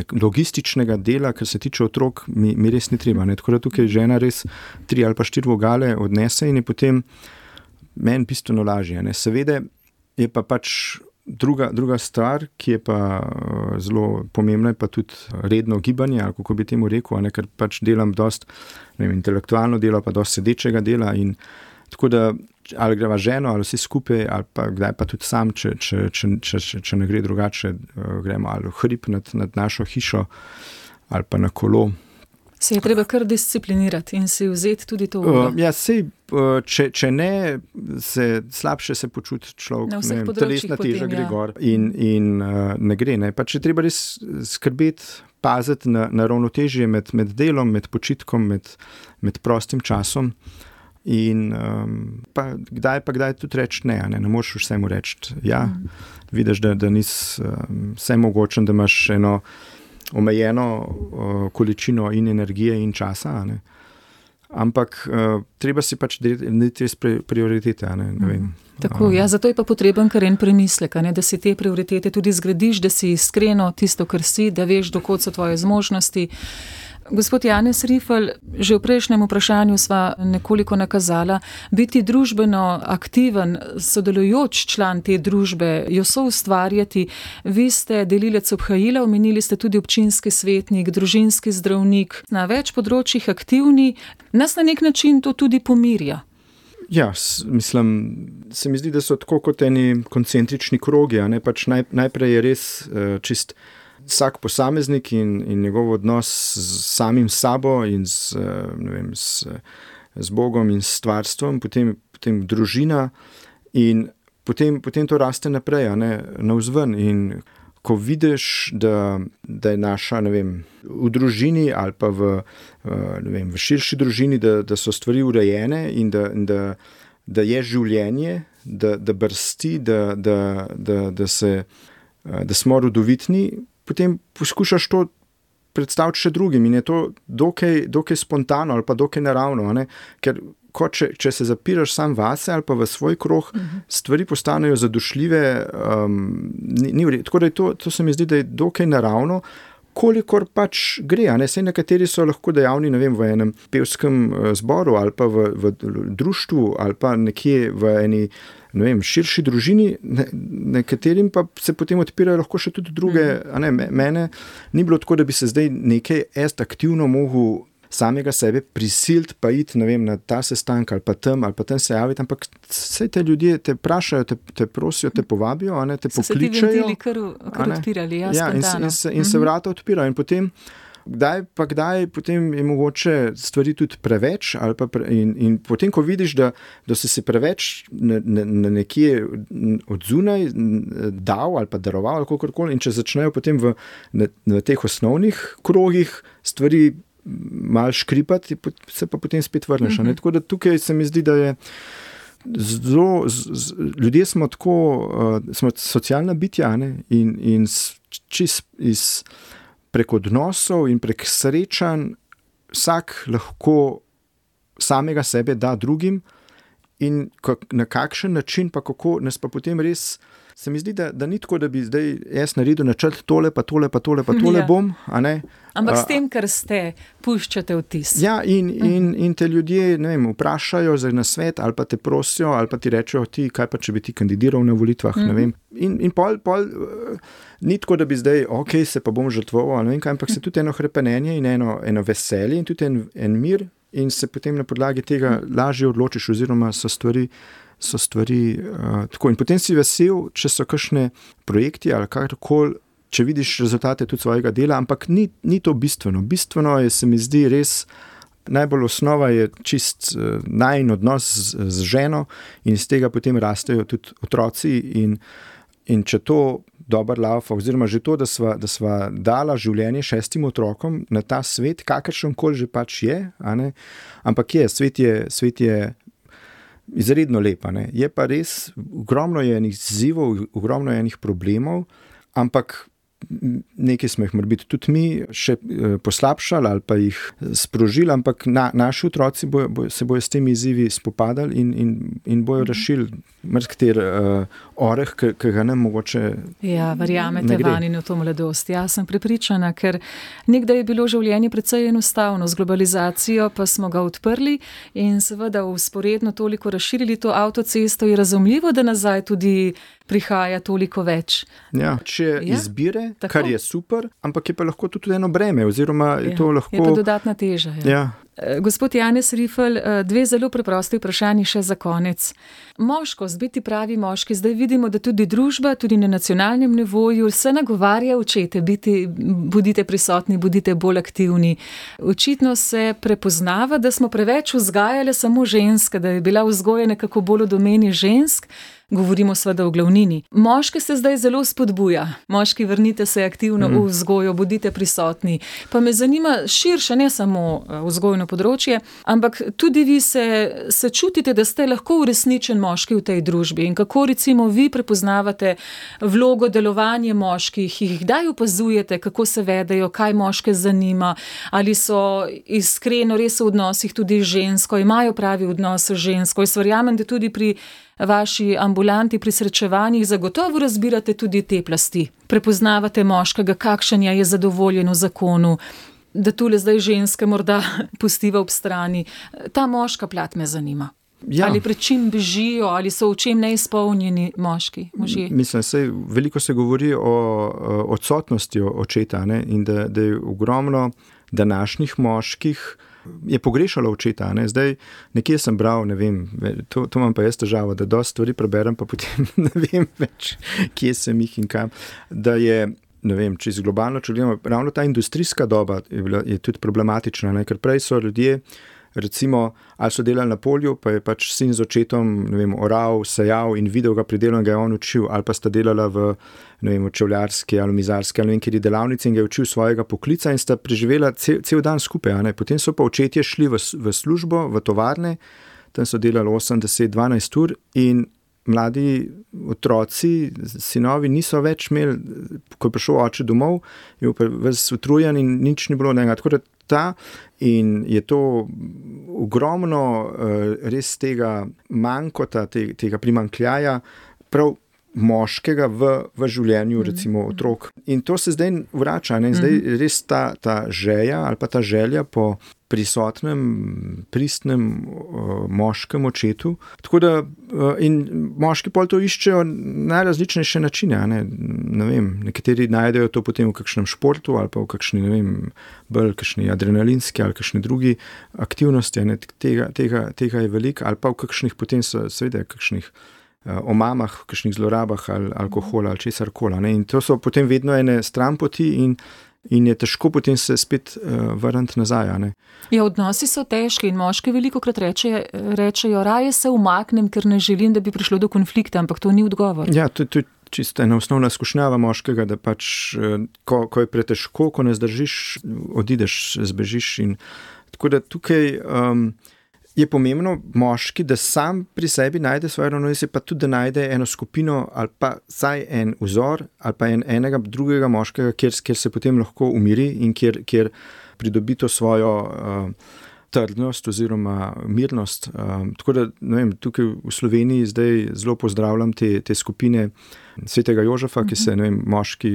logističnega dela, kar se tiče otrok, mi, mi res ni treba. Ne? Tako da tukaj žena res tri ali pa štiri vogale odnese in je potem meni bistveno lažje. Ne? Seveda je pa pač Druga, druga stvar, ki je pa uh, zelo pomembna, je pa tudi redno gibanje, ali kako bi temu rekel, ne, ker pač delam dosti, ne vem, intelektualno delo, pa dosti sedečega dela in tako da ali greva ženo, ali vsi skupaj, ali pa kdaj pa tudi sam, če, če, če, če, če, če ne gre drugače, uh, gremo ali v hrib nad, nad našo hišo, ali pa na kolo. Se je treba kar disciplinirati in si vzeti tudi to uro. Uh, ja, sej, uh, če, če ne, se slabše se počuti človek, na ne vem, telesna teža gre gor in, in uh, ne gre. Ne. Pa če treba res skrbeti, paziti na, na ravnotežje med, med delom, med počitkom, med, med prostim časom in um, pa kdaj pa kdaj tudi reči ne, ne, ne moreš vsemu reči ja, mm. vidiš, da, da nisi um, vse mogočen, da imaš eno omejeno uh, količino in energije in časa, ne. Ampak uh, treba si pač deliti res prioritete, ne, ne vem. Tako, ja, zato je pa potreben kar en premislek, ne, da si te prioritete tudi zgradiš, da si iskreno tisto, kar si, da veš, dokot so tvoje zmožnosti. Gospod Janez Rifl, že v prejšnjem vprašanju sva nekoliko nakazala, biti družbeno aktiven, sodelujoč član te družbe, jo soustvarjati. Vi ste delilec obhajila, omenili ste tudi občinski svetnik, družinski zdravnik, na več področjih aktivni. Nas na nek način to tudi pomirja. Ja, s, mislim, se mi zdi, da so tako kot eni koncentrični krogi. A ne? Pač naj, najprej je res uh, čist vsak posameznik in, in njegov odnos z samim sabo in z, uh, ne vem, z, z Bogom in s stvarstvom, potem, potem družina in potem, potem to raste naprej, a ne, navzven. In ko vidiš, da, da je naša, ne vem, v družini ali pa v, ne vem, v širši družini, da, da so stvari urejene in da, in da, da je življenje, da, da brsti, da, da, da, da, se, da smo rodovitni, potem poskušaš to predstaviti še drugim in je to dokaj, dokaj spontano ali pa dokaj naravno, a ne? Ker ko če, če se zapiraš sam vase ali pa v svoj krog, uh-huh. stvari postanejo zadošljive, um, ni, ni vred. Tako da je to, to se mi zdi, da je dokaj naravno, kolikor pač gre, a ne, saj nekateri so lahko dejavni, ne vem, v enem pevskem zboru ali pa v, v društvu ali pa nekje v eni, ne vem, širši družini, ne, nekaterim pa se potem odpirajo lahko še tudi druge, a ne, mene ni bilo tako, da bi se zdaj nekaj est aktivno mogel samega sebe prisiliti pa iti, ne vem, na ta sestank ali pa tam, ali pa tam se javiti, ampak vse te ljudje te vprašajo, te, te prosijo, te povabijo, a ne, te so pokličajo. So se ti ventili kar, kar odpirali, ja, ja, in, in, se, in se vrata odpirajo in potem kdaj pa kdaj potem je mogoče stvari tudi preveč ali pa pre, in, in potem, ko vidiš, da, da si se preveč na, na, na nekje od zunaj dal ali pa daroval ali kakorkoli in če začnejo potem v, na, na teh osnovnih krogih stvari malo škripati, se pa potem spet vrneš. Mm-hmm. Tako da tukaj se mi zdi, da je zelo, z, z, ljudje smo tako, uh, smo socialna bitja, ne? in, in čist iz prek odnosov in prek srečanj vsak lahko samega sebe da drugim in kak, na kakšen način pa kako nas pa potem res se mi zdi, da, da ni tako, da bi zdaj jaz naredil načrt tole, pa tole, pa tole, pa tole ja. bom, a ne? Ampak s tem, kar ste, puščate vtis. Ja, in, in, in te ljudje, ne vem, vprašajo za nasvet, ali pa te prosijo, ali pa ti rečejo, ti, kaj pa, če bi ti kandidiral na volitvah, mm. ne vem. In, in pol, pol ni tako, da bi zdaj, ok, se pa bom žrtvoval, ne vem kaj, ampak se tudi eno hrepenenje in eno, eno veselje in tudi en, en mir in se potem na podlagi tega mm. lažje odločiš oziroma so stvari so stvari uh, tako. In potem si vesel, če so kakšne projekti ali karkoli, če vidiš rezultate tudi svojega dela, ampak ni, ni to bistveno. Bistveno je, se mi zdi res, najbolj osnova je čist uh, najin odnos z, z ženo in iz tega potem rastejo tudi otroci in, in če to dober laufa, oziroma že to, da sva, da sva dala življenje šestim otrokom na ta svet, kakršen koli že pač je, a ne? Ampak je, svet je, svet je izredno lepa, ne. Je pa res, ogromno je enih izzivov, ogromno je enih problemov, ampak nekaj smo jih morbiti tudi mi še poslabšali ali pa jih sprožili, ampak na, naši otroci bojo, bojo, se bojo s temi izzivi spopadali in, in, in bojo rešili mrzkter uh, oreh, ki ga nam mogoče ja, verjamete van in v to mladost. Ja, sem prepričana, ker nekdaj je bilo življenje precej enostavno, z globalizacijo pa smo ga odprli in seveda vzporedno toliko razširili to avtocesto, je razumljivo, da nazaj tudi prihaja toliko več. Ja, če ja, izbire, tako. Kar je super, ampak je pa lahko tudi eno breme, oziroma je ja, to lahko... Je pa dodatna teža. Ja. Ja. Gospod Janez Rifl, dve zelo preprosti vprašanji še za konec. Moškost, biti pravi moški, zdaj vidimo, da tudi družba, tudi na nacionalnem nivoju se nagovarja očete, biti, bodite prisotni, bodite bolj aktivni. Očitno se prepoznava, da smo preveč vzgajali samo ženske, da je bila vzgoja nekako bolj v domeni žensk. Govorimo seveda o glavnini. Moške se zdaj zelo spodbuja. Moški, vrnite se aktivno mm. v vzgojo, bodite prisotni. Pa me zanima širše, ne samo vzgojno področje, ampak tudi vi se, se čutite, da ste lahko uresničen moški v tej družbi in kako recimo vi prepoznavate vlogo, delovanje moških, jih kdaj opazujete, kako se vedejo, kaj moške zanima, ali so iskreno res v odnosih tudi žensko, imajo pravi odnos z žensko. Jaz verjamem, da tudi pri vaši ambulanti pri srečevanjih zagotovo razbirate tudi te plasti. Prepoznavate moškega, kakšen je zadovoljen v zakonu, da tule zdaj ženske morda pustiva ob strani. Ta moška plat me zanima. Ja. Ali pred čim bežijo, ali so v čem neizpolnjeni moški, možje? Mislim, sej, veliko se govori o odsotnosti očeta, ne? In da, da je ogromno današnjih moških je pogrešala očeta. Ne? Zdaj, nekje sem bral, ne vem, to, to imam pa jaz težavo, da dosti stvari preberem, pa potem ne vem več, kje sem jih in kam. Da je, ne vem, če z globalno, če gledamo, ravno ta industrijska doba je, bila, je tudi problematična, ne? Ker prej so ljudje, recimo, ali so delali na polju, pa je pač sin z očetom, ne vem, oral, sejal in videl ga pri delu in ga je on učil, ali pa sta delala v, ne vem, v čevljarski ali mizarski ali ne vem, kjer je delavnici in ga je učil svojega poklica in sta preživela cel, cel dan skupaj, a ne. Potem so pa očetje šli v, v službo, v tovarne, tam so delali osem, deset, dvanajst ur in mladi otroci, sinovi niso več imeli, ko je prišel oče domov, je bil ves utrujen in nič ni bilo njega. Tako da ta in je to ogromno res tega mankota, tega primanjkljaja, prav moškega v, v življenju, recimo otrok. In to se zdaj vrača, ne? Zdaj res ta, ta želja ali pa ta želja po prisotnem, pristnem uh, moškem očetu. Tako da uh, in moški pol to iščejo najrazličnejše načine, ne? Ne vem, nekateri najdejo to potem v kakšnem športu ali pa v kakšni, ne vem, bolj kakšni adrenalinski ali kakšni drugi aktivnosti, ne? Tega, tega, tega je veliko, ali pa v kakšnih potem so, seveda, kakšnih o mamah, v kakšnih zlorabah ali alkohola ali česar kola. Ne? In to so potem vedno ene stranpoti in, in je težko potem se spet uh, vrniti nazaj. Ne? Ja, odnosi so težki in moški velikokrat reče, rečejo, raje se umaknem, ker ne želim, da bi prišlo do konflikta, ampak to ni odgovor. Ja, to, to je čisto ena osnovna skušnjava moškega, da pač, ko, ko je pretežko, ko ne zdržiš, odideš, zbežiš. In, tako da tukaj um, je pomembno moški, da sam pri sebi najde svoje ravnovesje, pa tudi, da najde eno skupino ali pa saj en vzor ali pa en, enega drugega moškega, kjer, kjer se potem lahko umiri in kjer, kjer pridobi to svojo uh, trdnost oziroma mirnost. Um, tako da, ne vem, tukaj v Sloveniji zdaj zelo pozdravljam te, te skupine Svetega Jožefa, ki se, ne vem, moški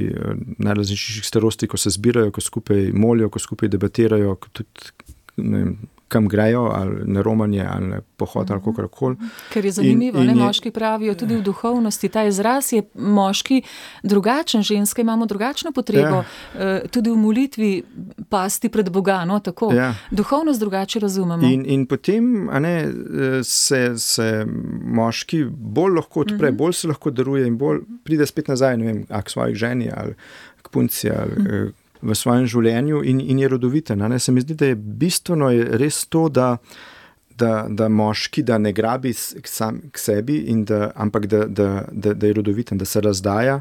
najrazličnejših starosti, ko se zbirajo, ko skupaj molijo, ko skupaj debatirajo, ko tudi, ne vem, kam grejo, ali na romanje, ali na pohod, ali kakorkoli. Ker je zanimivo, in, in ne, moški pravijo tudi v duhovnosti, ta izraz je moški drugačen, ženske imamo drugačno potrebo, ja. Tudi v molitvi pasti pred Boga, no, tako. Ja. Duhovnost drugače razumemo. In, in potem, a ne, se, se moški bolj lahko odpre, uh-huh. bolj se lahko daruje in bolj pride spet nazaj, ne vem, a k svojih ženi, ali k punci, ali uh-huh. v svojem življenju in, in je rodoviten. Ne? Se mi zdi, da je bistveno je res to, da, da, da moški, da ne grabi k, sam, k sebi, in da, ampak da, da, da, da je rodoviten, da se razdaja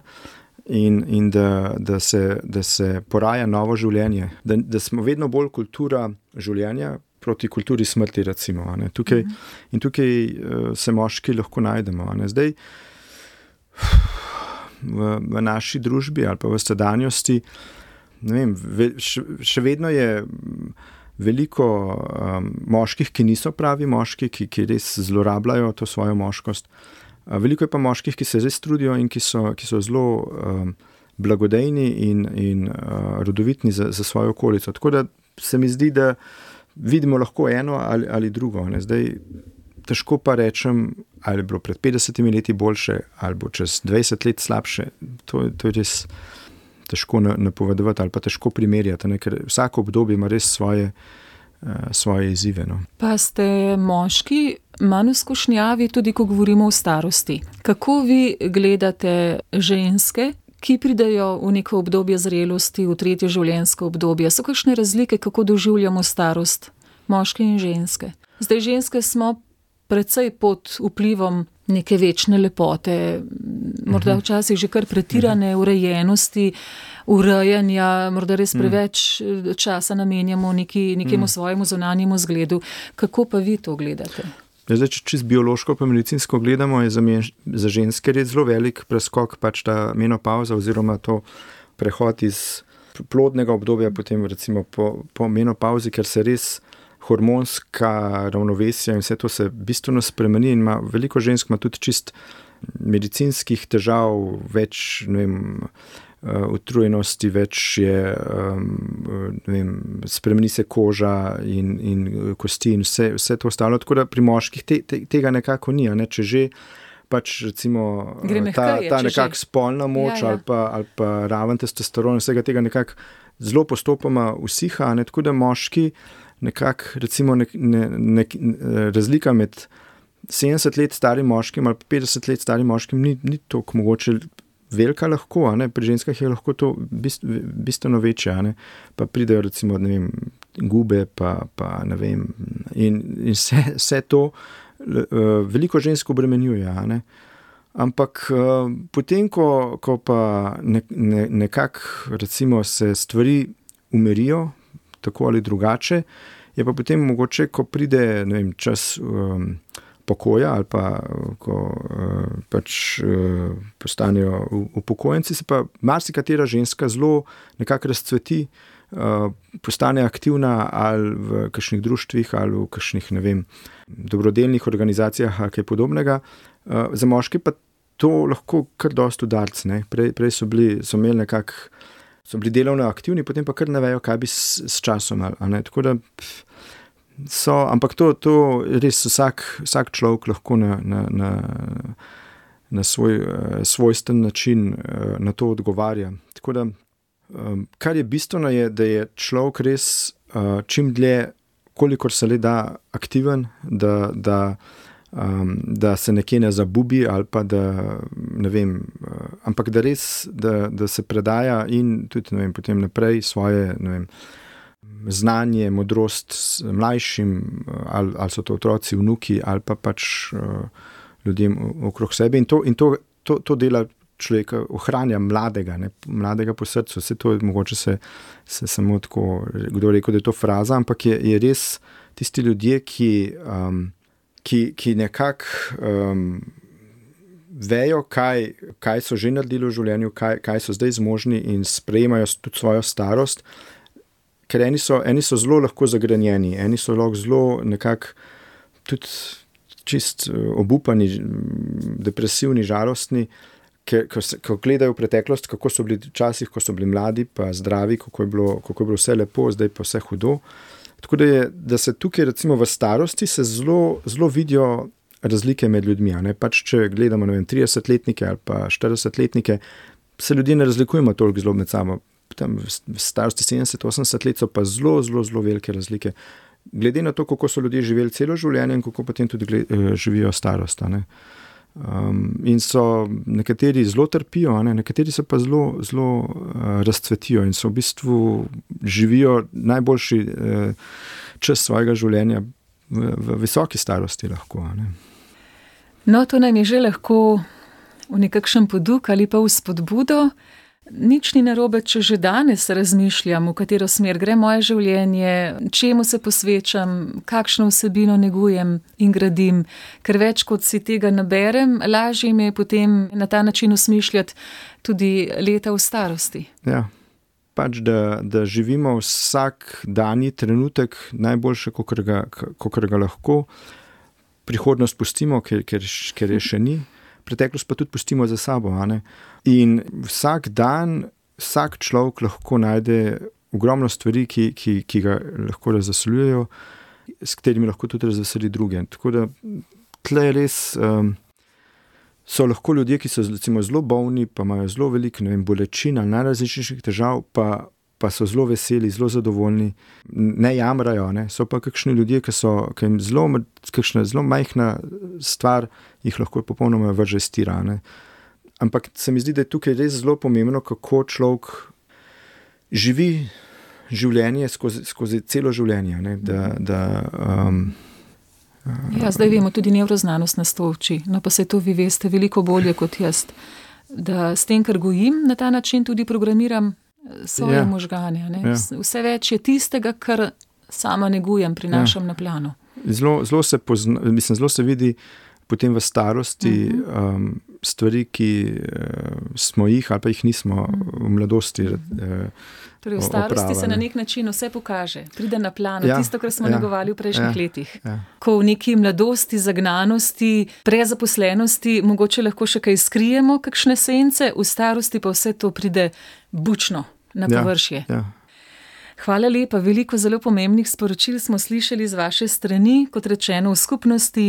in, in da, da, se, da se poraja novo življenje. Da, da smo vedno bolj kultura življenja proti kulturi smrti, recimo. Ne? Tukaj, mm-hmm. In tukaj uh, se moški lahko najdemo. Ne? Zdaj, v, v naši družbi ali pa v sedanjosti, ne vem, še, še vedno je veliko um, moških, ki niso pravi moški, ki, ki res zlorabljajo to svojo moškost. Uh, veliko je pa moških, ki se res trudijo in ki so, ki so zelo um, blagodejni in, in uh, rodovitni za, za svojo okolico. Tako da se mi zdi, da vidimo lahko eno ali, ali drugo. Ne? Zdaj, težko pa rečem, ali je bilo pred petdesetimi leti boljše, ali bo čez dvajset let slabše. To, to je res težko napovedovati ali pa težko primerjati, ne? Ker vsako obdobje ima res svoje, uh, svoje izzive. No. Pa ste moški manj izkušnjavi, tudi ko govorimo o starosti. Kako vi gledate ženske, ki pridejo v neko obdobje zrelosti, v tretje življenjsko obdobje? So kakšne razlike, kako doživljamo starost, moški in ženske? Zdaj, ženske smo precej pod vplivom neke večne lepote, morda včasih že kar pretirane urejenosti, urejanja, morda res preveč časa namenjamo neki, nekemu svojemu zunanjemu zgledu. Kako pa vi to gledate? Ja, zdaj, če čist biološko pa medicinsko gledamo, je za, men, za ženske res zelo velik preskok, pač ta menopauza oziroma to prehod iz plodnega obdobja potem recimo po, po menopauzi, ker se res hormonska ravnovesja in vse to se bistveno spremeni in ima veliko žensk, ima tudi čist medicinskih težav, več, ne vem, utrujenosti, več je, ne vem, spremeni se koža in, in kosti in vse, vse to ostalo, tako da pri moških te, te, tega nekako ni, ne, če že pač recimo ta, ta nekak spolna moč ja, ja. ali pa, ali pa raven testosteron, vsega tega nekako zelo postopoma usiha, ne, tako da moški nekako, recimo nek, ne, nek, razlika med sedemdeset let starim moškim ali petdeset let starim moškim ni, ni toliko mogoče velika lahko, a ne, pri ženskah je lahko to bist, bistveno večje, a ne, pa pridejo recimo, ne vem, gube, pa, pa ne vem, in, in vse, vse to uh, veliko žensk obremenjuje, a ne. Ampak uh, potem, ko, ko pa ne, ne, nekako recimo se stvari umirijo, tako ali drugače, je pa potem mogoče, ko pride, ne vem, čas um, pokoja ali pa ko uh, pač uh, postanejo upokojenci, se pa marsikatera ženska zelo nekako razcveti, uh, postane aktivna ali v kakšnih društvih ali v kakšnih, ne vem, dobrodelnih organizacijah ali kaj podobnega. Uh, za moške pa to lahko kar dosti udarc, ne. Prej, prej so bili, so imeli nekako so bili delovno aktivni, potem pa kar ne vejo, kaj bi s, s časom, ali ne, tako da so, ampak to, to res vsak, vsak človek lahko na, na, na, na svoj svojsten način na to odgovarja. Tako da, kar je bistveno je, da je človek res čim dlje, kolikor se le da aktiven, da, da Um, da se nekje ne zabubi ali pa da, ne vem, uh, ampak da res, da, da se predaja in tudi, ne vem, potem naprej svoje, ne vem, znanje, modrost mlajšim, ali, ali so to otroci, vnuki, ali pa pač uh, ljudem okrog sebe. In to, in to, to, to dela človeka, ohranja mladega, ne, mladega po srcu. Vse to je mogoče se, se samo tako, kdo rekel, da je to fraza, ampak je, je res tisti ljudje, ki um, ki, ki nekako um, vejo, kaj, kaj so že naredili v življenju, kaj, kaj so zdaj zmožni in sprejemajo tudi svojo starost, ker eni so, eni so zelo lahko zagrenjeni, eni so lahko zelo nekako tudi čist obupani, depresivni, žalostni, ker, ko, ko gledajo v preteklost, kako so bili včasih, ko so bili mladi pa zdravi, kako je bilo, kako je bilo vse lepo, zdaj pa vse hudo. Tako da, je, da se tukaj recimo v starosti se zelo, zelo vidijo razlike med ljudmi. Ne? Pač če gledamo, ne vem, tridesetletnike ali pa štiridesetletnike, se ljudje ne razlikujemo toliko zelo med sabo. Tam v starosti sedemdeset osemdeset let so pa zelo, zelo, zelo velike razlike. Glede na to, kako so ljudje živeli celo življenje in kako potem tudi gled, živijo starost. Ne? Um, in so nekateri zelo trpijo, ne? Nekateri se pa zelo, zelo uh, razcvetijo in so v bistvu živijo najboljši uh, čas svojega življenja v, v visoki starosti lahko. Ne? No, to nam je že lahko v nekakšen poduk ali pa v spodbudo. Nič ni narobe, če že danes razmišljam, v katero smer gre moje življenje, čemu se posvečam, kakšno vsebino negujem in gradim, ker več kot si tega naberem, lažje mi je potem na ta način osmišljati tudi leta v starosti. Ja, pač da, da živimo vsak danji trenutek najboljše, kakor ga, kakor ga lahko, prihodnost pustimo, ker, ker, ker je še ni. Preteklost pa tudi pustimo za sabo. A ne? In vsak dan, vsak človek lahko najde ogromno stvari, ki, ki, ki ga lahko razveseljujejo, s katerimi lahko tudi razveseli druge. Tako da tle res um, so lahko ljudje, ki so recimo zelo bolni, pa imajo zelo veliko, ne vem, bolečin ali najrazličnejših težav, pa, pa so zelo veseli, zelo zadovoljni, ne jamrajo. Ne? So pa kakšni ljudje, ki so, ki jim zelo, kakšna zelo majhna stvar jih lahko popolnoma vrže s tira. Ne? Ampak se mi zdi, da je tukaj res zelo pomembno, kako človek živi življenje skozi, skozi celo življenje. Ne? Da, da, um, ja, zdaj vemo, tudi nevroznanost nas to uči, no pa se to vi veste veliko bolje kot jaz, da s tem, kar gojim, na ta način tudi programiram svoje ja. možganje. Ne? Ja. Vse več je tistega, kar sama negujem, prinašam ja. na plano. Zelo, zelo se pozna, mislim, zelo se vidi potem v starosti uh-huh. um, stvari, ki uh, smo jih ali pa jih nismo uh-huh. v mladosti uh, Torej v starosti opravali. Se na nek način vse pokaže, pride na plano, ja, tisto, kar smo ja, negovali v prejšnjih ja, letih. Ja. Ko v neki mladosti, zagnanosti, prezaposlenosti mogoče lahko še kaj skrijemo, kakšne sence, v starosti pa vse to pride bučno na površje. Ja, ja. Hvala lepa, veliko zelo pomembnih sporočil smo slišali z vaše strani, kot rečeno v skupnosti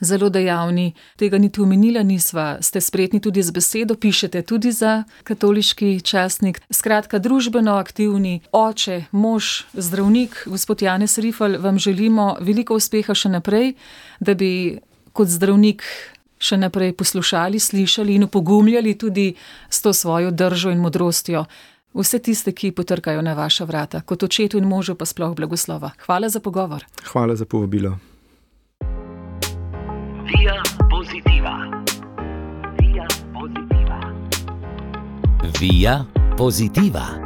zelo dejavni, tega niti omenila nisva, ste spretni tudi z besedo, pišete tudi za katoliški časnik. Skratka, družbeno aktivni oče, mož, zdravnik, gospod Janez Rifl, vam želimo veliko uspeha še naprej, da bi kot zdravnik še naprej poslušali, slišali in opogumljali tudi s to svojo držo in modrostjo vse tiste, ki potrkajo na vaša vrata, kot očetu in možu pa sploh blagoslova. Hvala za pogovor. Hvala za povabilo. Via Positiva. Via Positiva. Via Positiva.